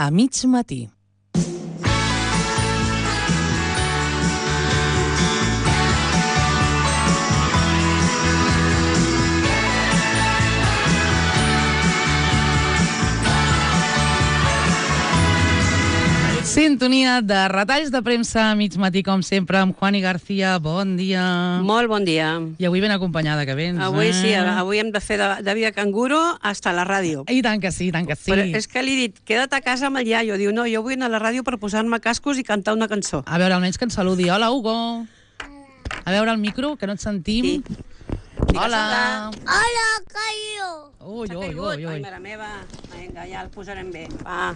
a mig matí. Sintonia de retalls de premsa a mig matí, com sempre, amb Juani García. Bon dia. Molt bon dia. I avui ben acompanyada, que vens. Avui sí, avui hem de fer de via canguro hasta la ràdio. I tant que sí, tant que sí. Però és que li he dit, queda't a casa amb el iaio. Diu, no, jo vull anar a la ràdio per posar-me cascos i cantar una cançó. A veure, almenys que ens saludi. Hola, Hugo. A veure el micro, que no et sentim. Sí. Hola. Hola, Caio. Ui, ui, ui, Ai, ui. mare meva. Vinga, ja el posarem bé. Va.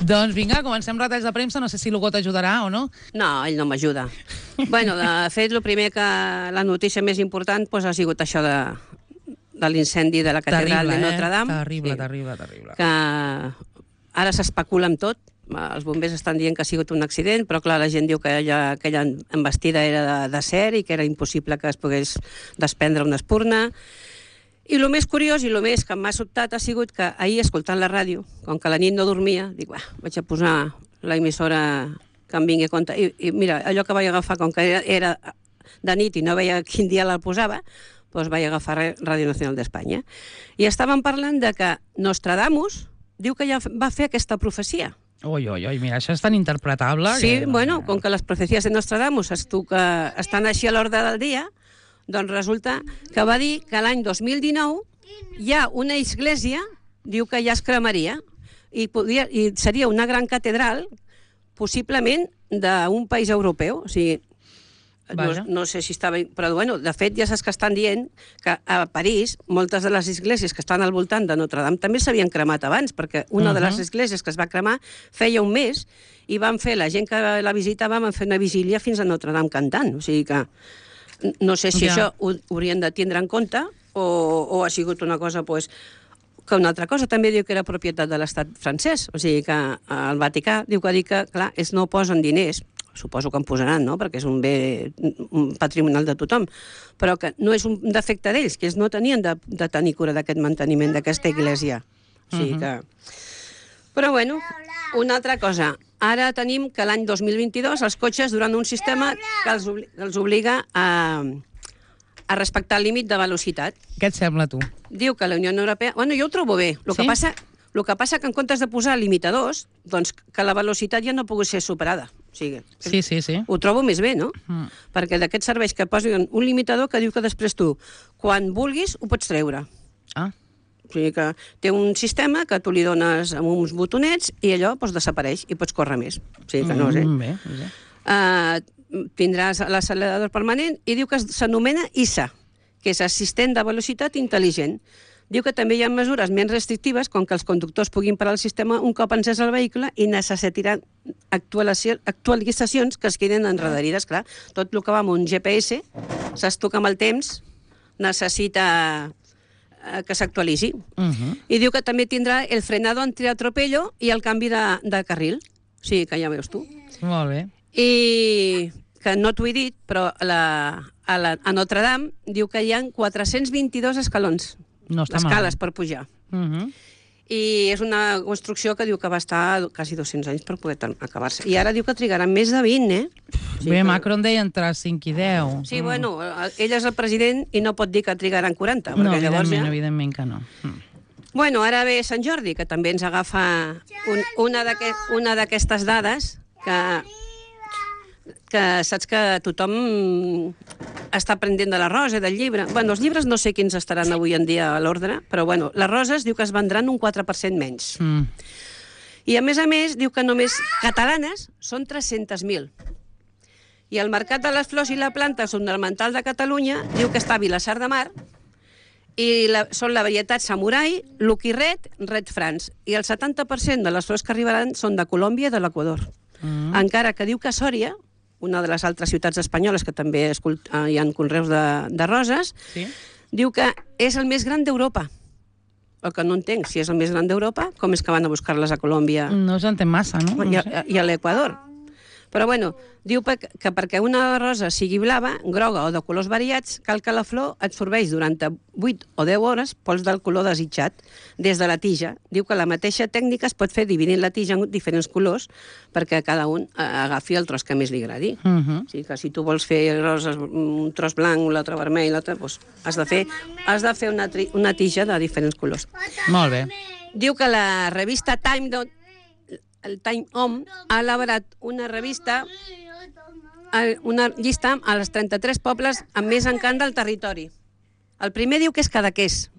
Doncs vinga, comencem retalls de premsa. No sé si l'Hugo t'ajudarà o no. No, ell no m'ajuda. Bueno, de fet, el primer que la notícia més important doncs, ha sigut això de l'incendi de la catedral de Notre Dame. Terrible, Sí. terrible. Que ara s'especula amb tot. Els bombers estan dient que ha sigut un accident, però clar, la gent diu que aquella embestida era d'acer i que era impossible que es pogués desprendre una espurna. I el més curiós i el més que m'ha sobtat ha sigut que ahir, escoltant la ràdio, com que la nit no dormia, dic, vaig a posar l'emissora que em vingui a compte. I mira, allò que vaig agafar, com que era de nit i no veia quin dia la posava, doncs vaig agafar Ràdio Nacional d'Espanya. I estàvem parlant de que Nostradamus diu que ja va fer aquesta profecia. Ui, mira, això és tan interpretable. Sí, que... bueno, com que les profecies de Nostradamus estan així a l'ordre del dia, doncs resulta que va dir que l'any 2019 hi ha una església, diu que ja es cremaria, i seria una gran catedral, possiblement d'un país europeu. O sigui, no sé si estava... Però, bueno, de fet, ja saps que estan dient que a París moltes de les esglésies que estan al voltant de Notre Dame també s'havien cremat abans, perquè una de les esglésies que es va cremar feia un mes i van fer, la gent que la visitava, van fer una vigília fins a Notre Dame cantant. O sigui que no sé si això ho haurien de tindre en compte o ha sigut una cosa, pues, que una altra cosa també diu que era propietat de l'estat francès. O sigui que el Vaticà diu que, clar, ells no posen diners, suposo que en posaran, no?, perquè és un bé patrimonial de tothom, però que no és un defecte d'ells, que ells no tenien de tenir cura d'aquest manteniment d'aquesta església. O sigui que... Però, bueno, una altra cosa. Ara tenim que l'any 2022 els cotxes duran un sistema que els obliga a respectar el límit de velocitat. Què et sembla, tu? Diu que la Unió Europea... Bueno, jo ho trobo bé. El que passa que en comptes de posar limitadors, doncs que la velocitat ja no pugui ser superada. O sigui, Sí. ho trobo més bé, no? Perquè d'aquests serveis que posen un limitador que diu que després tu, quan vulguis, ho pots treure. Ah. O sigui que té un sistema que tu li dones amb uns botonets i allò doncs, desapareix i pots córrer més. O sigui que no sé. Bé. Tindràs l'accelerador permanent i diu que s'anomena ISA, que és Assistent de Velocitat Intel·ligent. Diu que també hi ha mesures menys restrictives, com que els conductors puguin parar el sistema un cop encès el vehicle i necessitaran actualitzacions que es queden enredarides. Clar, tot el que va amb un GPS, saps tu que amb el temps necessita que s'actualitzi. I diu que també tindrà el frenado antiatropello i el canvi de carril. O sigui que ja veus tu. Molt bé. I que no t'ho he dit, però a Notre Dame diu que hi ha 422 escalons. No està escales per pujar. I és una construcció que diu que va estar quasi 200 anys per poder acabar-se. I ara diu que trigaran més de 20, Sí, bé, Macron deia entre 5 i 10. Sí, bueno, ell és el president i no pot dir que trigaran 40. No, evidentment que no. Bueno, ara ve Sant Jordi, que també ens agafa una d'aquestes dades que saps que tothom està aprenent de la rosa, del llibre. Bueno, els llibres no sé quins estaran avui en dia a l'ordre, però bueno, les roses diu que es vendran un 4% menys. I a més, diu que només catalanes són 300.000. I el Mercat de les Flors i la Planta Ornamental de Catalunya diu que està a Vilassar de Mar i són la varietat Samurai, Lucky Red, Red France. I el 70% de les flors que arribaran són de Colòmbia i de l'Equador. Encara que diu que a Sòria, una de les altres ciutats espanyoles que també hi ha conreus de roses, diu que és el més gran d'Europa. El que no entenc, si és el més gran d'Europa, com és que van a buscar-les a Colòmbia? No s'entén massa, no? I a l'Equador. Però bueno, diu que perquè una rosa sigui blava, groga o de colors variats, cal que la flor absorbeix durant 8 o 10 hores pols del color desitjat des de la tija. Diu que la mateixa tècnica es pot fer dividint la tija en diferents colors perquè cada un agafi el tros que més li agradi. O sigui que si tu vols fer roses, un tros blanc, l'altre vermell, l'altre, doncs has de fer una tija de diferents colors. Molt bé. Diu que la revista el Time Home ha elaborat una revista, una llista a les 33 pobles amb més encant del territori. El primer diu que és Cadaqués,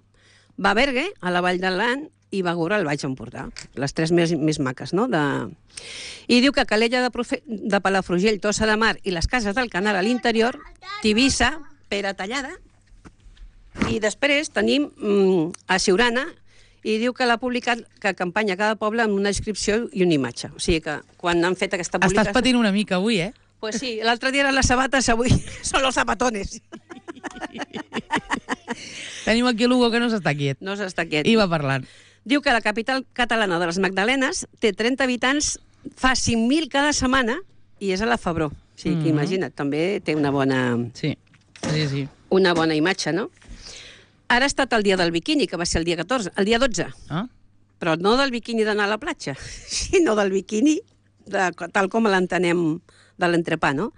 Babergue, a la Vall d'Aran, i Begura, al Baix Empordà. Les 3 més maques, no? I diu que Calella de Palafrugell, Tossa de Mar i les Cases del Canal a l'interior, Tivissa, Pere Tallada, i després tenim a Siurana, i diu que l'ha publicat, que acompanya cada poble amb una descripció i una imatge. O sigui que quan han fet aquesta publicació... Estàs patint una mica avui, eh? Pues sí, l'altre dia eren les sabates, avui són els zapatones. Tenim aquí l'Hugo que no s'està quiet. No s'està quiet. I va parlant. Diu que la capital catalana de les Magdalenes té 30 habitants, fa 5.000 cada setmana, i és a la Febró. O sigui que imagina't, també té una bona... Sí. Una bona imatge, no? Ara ha estat el dia del biquini, que va ser el dia 12. Ah? Però no del biquini d'anar a la platja, sinó del biquini tal com l'entenem de l'entrepà, no?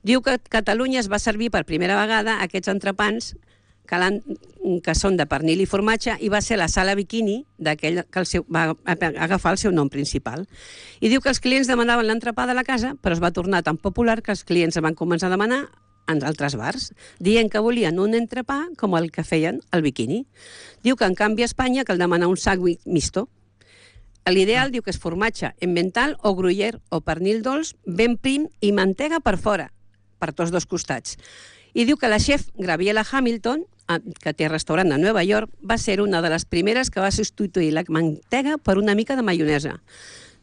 Diu que Catalunya es va servir per primera vegada aquests entrepans que són de pernil i formatge, i va ser la sala biquini d'aquell que va agafar el seu nom principal. I diu que els clients demanaven l'entrepà de la casa, però es va tornar tan popular que els clients van començar a demanar en altres bars, dient que volien un entrepà com el que feien al biquini. Diu que en canvi a Espanya cal demanar un sac misto. L'ideal diu que és formatge emmental o gruyère o pernil dolç ben prim i mantega per fora, per tots dos costats. I diu que la chef Graviela Hamilton, que té restaurant a Nova York, va ser una de les primeres que va substituir la mantega per una mica de maionesa.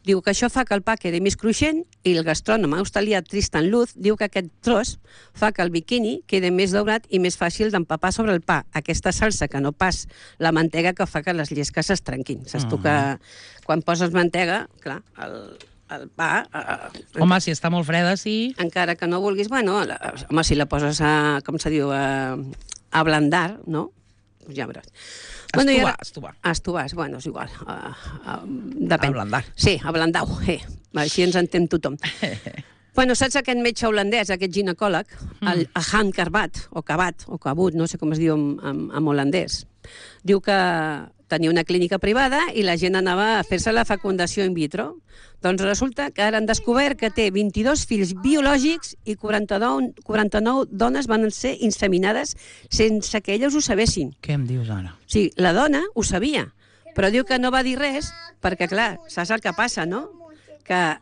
Diu que això fa que el pa quedi més cruixent, i el gastrònom australià Tristan Luz diu que aquest tros fa que el biquini quedi més daurat i més fàcil d'empapar sobre el pa. Aquesta salsa, que no pas la mantega, que fa que les llesques es trenquin. Saps tu que quan poses mantega, clar, el pa... Home, si està molt freda, sí. Encara que no vulguis, bueno, home, si la poses a, com se diu, a blandar, no? Pues ja veuràs. Estovar, bueno, és igual. Depèn. Ablandar. Sí, ablandau. Així ens entén tothom. Bueno, saps aquest metge holandès, aquest ginecòleg, el Han Karbat, o Kabat, o Kabut, no sé com es diu en holandès, diu que tenia una clínica privada i la gent anava a fer-se la fecundació in vitro. Doncs resulta que ara han descobert que té 22 fills biològics i 49 dones van ser inseminades sense que elles ho sabessin. Què em dius ara? Sí, la dona ho sabia, però diu que no va dir res perquè, clar, saps el que passa, no? Que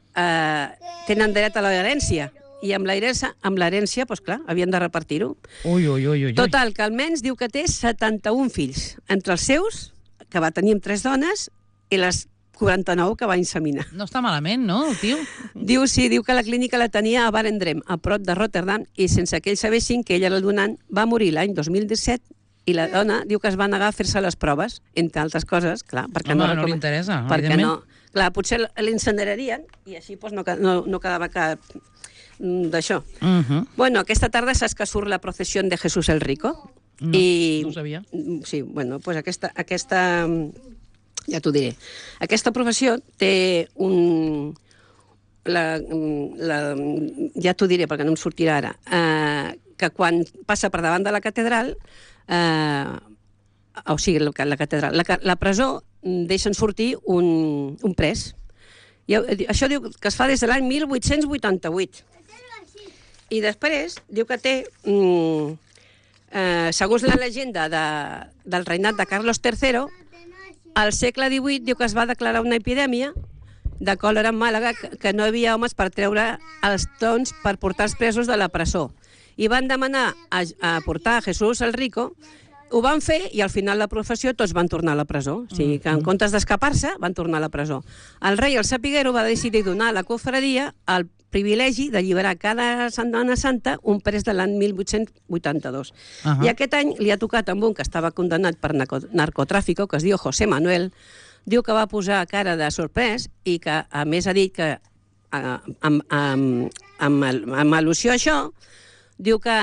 tenen dret a l'herència. I amb l'herència, doncs clar, havien de repartir-ho. Ui. Total, que almenys diu que té 71 fills. Entre els seus, que va tenir amb 3 dones, i les 49 que va inseminar. No està malament, no, el tio? Diu que la clínica la tenia a Barendrem, a prop de Rotterdam, i sense que ells sabessin que ella era el donant, va morir l'any 2017, i la dona diu que es va negar a fer-se les proves, entre altres coses, clar, perquè no li interessa, evidentment. Clar, potser l'incinerarien i així no quedava cap d'això. Bueno, aquesta tarda saps que surt la processió de Jesús el Rico? No ho sabia. Sí, bueno, doncs aquesta ja t'ho diré. Aquesta professió té ja t'ho diré perquè no em sortirà ara, que quan passa per davant de la catedral, o sigui, la catedral, la presó deixen sortir un pres. Això diu que es fa des de l'any 1888. I després diu que té, segons la llegenda del reinat de Carlos III, al segle XVIII diu que es va declarar una epidèmia de còlera en Màlaga, que no hi havia homes per treure els tons per portar els presos de la presó. I van demanar a portar a Jesús el Rico, ho van fer i al final la professió tots van tornar a la presó. O sigui que en comptes d'escapar-se van tornar a la presó. El rei, el sapiguero, va decidir donar a la cofradia el privilegi d'alliberar cada Setmana Santa un pres de l'any 1882. I aquest any li ha tocat amb un que estava condemnat per narcotràfico, que es diu José Manuel. Diu que va posar cara de sorprès i que, a més, ha dit que amb al·lusió a això, diu que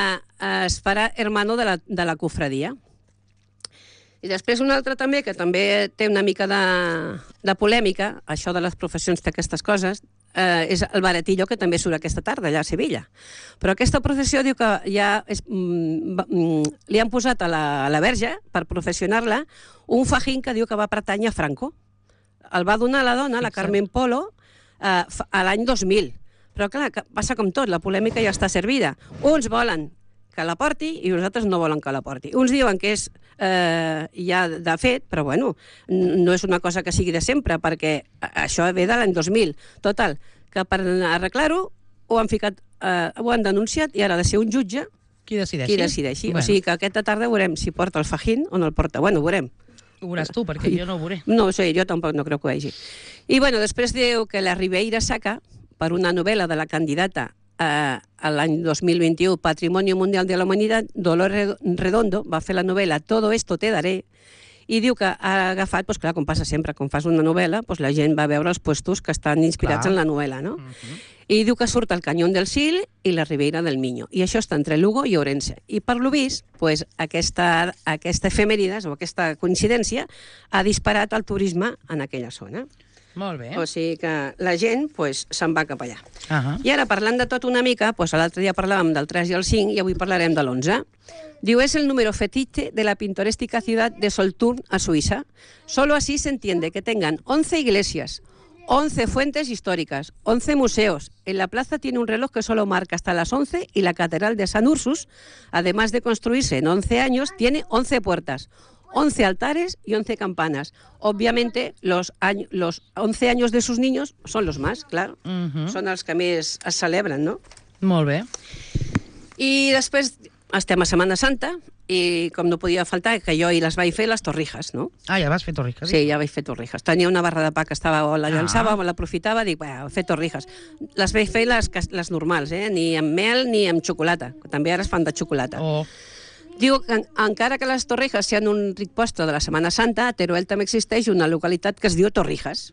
es farà hermano de la cofradia. I després un altre també, que també té una mica de polèmica, això de les professions d'aquestes coses, és el baratillo, que també surt aquesta tarda allà a Sevilla. Però aquesta professió diu que ja li han posat a la verge, per professionar-la, un fajín que diu que va pertànyer a Franco. El va donar a la dona, la Carmen Polo, a l'any 2000. Però clar, passa com tot, la polèmica ja està servida. Uns volen que la porti i uns altres no volen que la porti. Uns diuen que és ja de fet, però bueno, no és una cosa que sigui de sempre, perquè això ve de l'any 2000. Total, que per arreglar-ho ho han denunciat i ara ha de ser un jutge qui decideixi. Bueno. O sigui que aquesta tarda veurem si porta el fajín o no el porta. Bueno, ho veurem. Ho veuràs tu, perquè jo no ho veuré. No ho sé, jo tampoc no crec que ho vegi. I bueno, després diu que la Ribeira Sacra, per una novel·la de la candidata a l'any 2021 Patrimonio Mundial de la Humanitat, Dolores Redondo va fer la novel·la Todo esto te daré, i diu que ha agafat, doncs clar, com passa sempre, quan fas una novel·la, doncs la gent va veure els puestos que estan inspirats en la novel·la, no? I diu que surt el Canyón del Sil i la Ribeira del Miño, i això està entre Lugo i Ourense. I per lo vist, doncs, aquesta efemèrides, o aquesta coincidència, ha disparat el turisme en aquella zona. Molt bé. O sigui que la gent se'n va cap allà. Uh-huh. I ara, parlant de tot una mica, l'altre dia parlàvem del 3 i el 5 i avui parlarem de l'11. Diu, es el número fetiche de la pintoresca ciudad de Solothurn, a Suiza. Solo así se entiende que tengan 11 iglesias, 11 fuentes históricas, 11 museos. En la plaza tiene un reloj que solo marca hasta las 11 y la catedral de San Ursus, además de construirse en 11 años, tiene 11 puertas, 11 altares y 11 campanas. Obviamente, los 11 años de sus niños son los más, claro. Són els que més es celebren, no? Molt bé. I després estem a Setmana Santa i, com no podia faltar, que jo hi les vaig fer les torrijas, no? Ah, ja vas fer torrijas? Sí, ja vaig fer torrijas. Tenia una barra de pa que la llançava, l'aprofitava, dic, fer torrijas. Les vaig fer les normals, ni amb mel ni amb xocolata. També ara es fan de xocolata. Diu que encara que les Torrijas siguin un ric postre de la Setmana Santa, a Teruel també existeix una localitat que es diu Torrijas.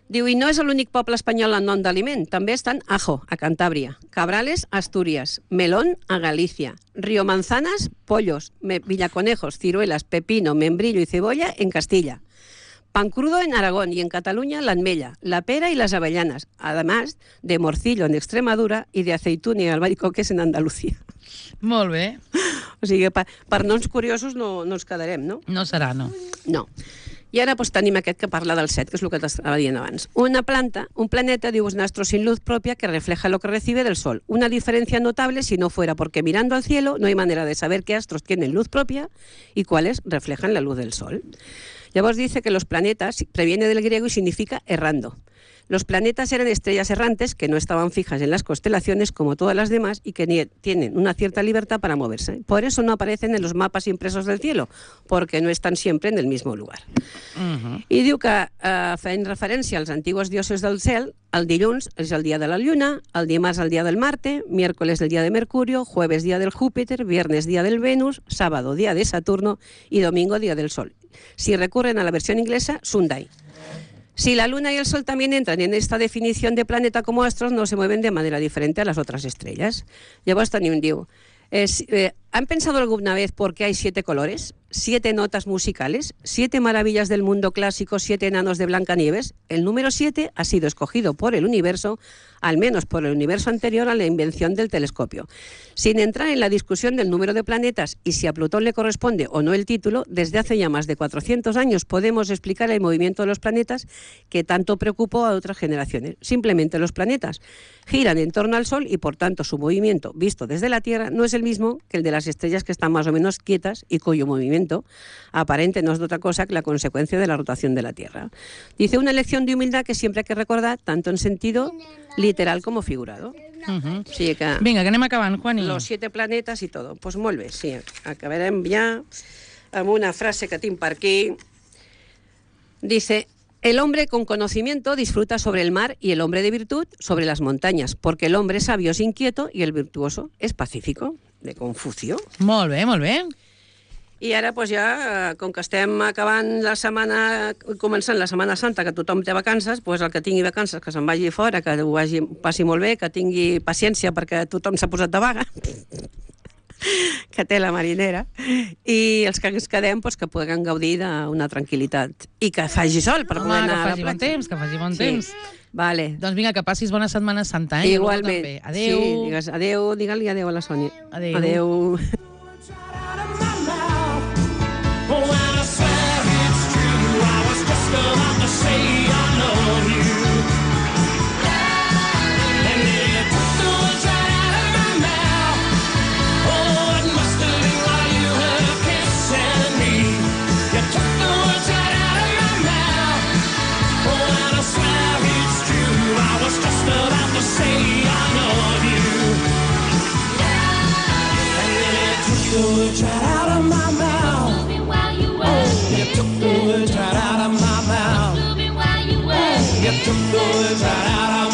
Diu, i no és l'únic poble espanyol en nom d'aliment, també estan Ajo, a Cantàbria, Cabrales, a Astúries, Melón, a Galícia, Río Manzanas, Pollos, Villaconejos, Ciruelas, Pepino, Membrillo y Cebolla en Castilla, Pan Crudo en Aragón y en Cataluña la almella, la pera y las avellanas, además de morcillo en Extremadura y de aceituna y albaricoques en Andalucía. Molt bé. O sigui, per noms curiosos no ens quedarem, no? No serà, no. No. I ara tenim aquest que parla del 7, que és el que t'estava dient abans. Un planeta, diu, es un astro sin luz propia que refleja lo que recibe del Sol. Una diferencia notable si no fuera porque mirando al cielo no hay manera de saber qué astros tienen luz propia y cuáles reflejan la luz del Sol. Llavors dice que los planetas previene del griego y significa errando. Los planetas eran estrellas errantes que no estaban fijas en las constelaciones como todas las demás y que tienen una cierta libertad para moverse. Por eso no aparecen en los mapas impresos del cielo, porque no están siempre en el mismo lugar. I diu que, fent referència als antiguos dioses del cel, el dilluns és el dia de la Lluna, el dimarts el dia del Marte, miércoles el día de Mercurio, jueves día del Júpiter, viernes día del Venus, sábado día de Saturno y domingo día del Sol. Si recurren a la versión inglesa, Sunday. Si la Luna y el Sol también entran en esta definición de planeta como astros, no se mueven de manera diferente a las otras estrellas. Llavors tenim, diu, ¿han pensado alguna vez por qué hay 7 colores, 7 notas musicales, 7 maravillas del mundo clásico, 7 enanos de Blancanieves? El número 7 ha sido escogido por el universo, al menos por el universo anterior a la invención del telescopio. Sin entrar en la discusión del número de planetas y si a Plutón le corresponde o no el título, desde hace ya más de 400 años podemos explicar el movimiento de los planetas que tanto preocupó a otras generaciones. Simplemente los planetas giran en torno al Sol y por tanto su movimiento, visto desde la Tierra, no es el mismo que el de las estrellas que están más o menos quietas y cuyo movimiento aparente no es otra cosa que la consecuencia de la rotación de la Tierra. Dice, una lección de humildad que siempre hay que recordar, tanto en sentido literal como figurado. O sigui que Vinga, que anem acabant, Juani. Los 7 planetes i tot. Pues molt bé, sí. Acabarem ja amb una frase que tinc per aquí. Dice, el hombre con conocimiento disfruta sobre el mar y el hombre de virtud sobre las montañas, porque el hombre sabio es inquieto y el virtuoso es pacífico, de Confucio. Molt bé, molt bé. I ara, doncs ja, com que estem acabant la setmana, començant la Setmana Santa, que tothom té vacances, doncs el que tingui vacances, que se'n vagi fora, que ho passi molt bé, que tingui paciència perquè tothom s'ha posat de vaga, que té la marinera, i els que ens quedem, doncs que puguem gaudir d'una tranquil·litat. I que faci sol per poder anar a la platja. Que faci bon temps. Vale. Doncs vinga, que passis bona Setmana Santa, Igualment. Adéu. Sí, digues adéu, digue-li adéu a la Sònia. Adéu. Adéu. Words right out of my mouth. You took the words right out of my mouth. You took the words right out of my mouth.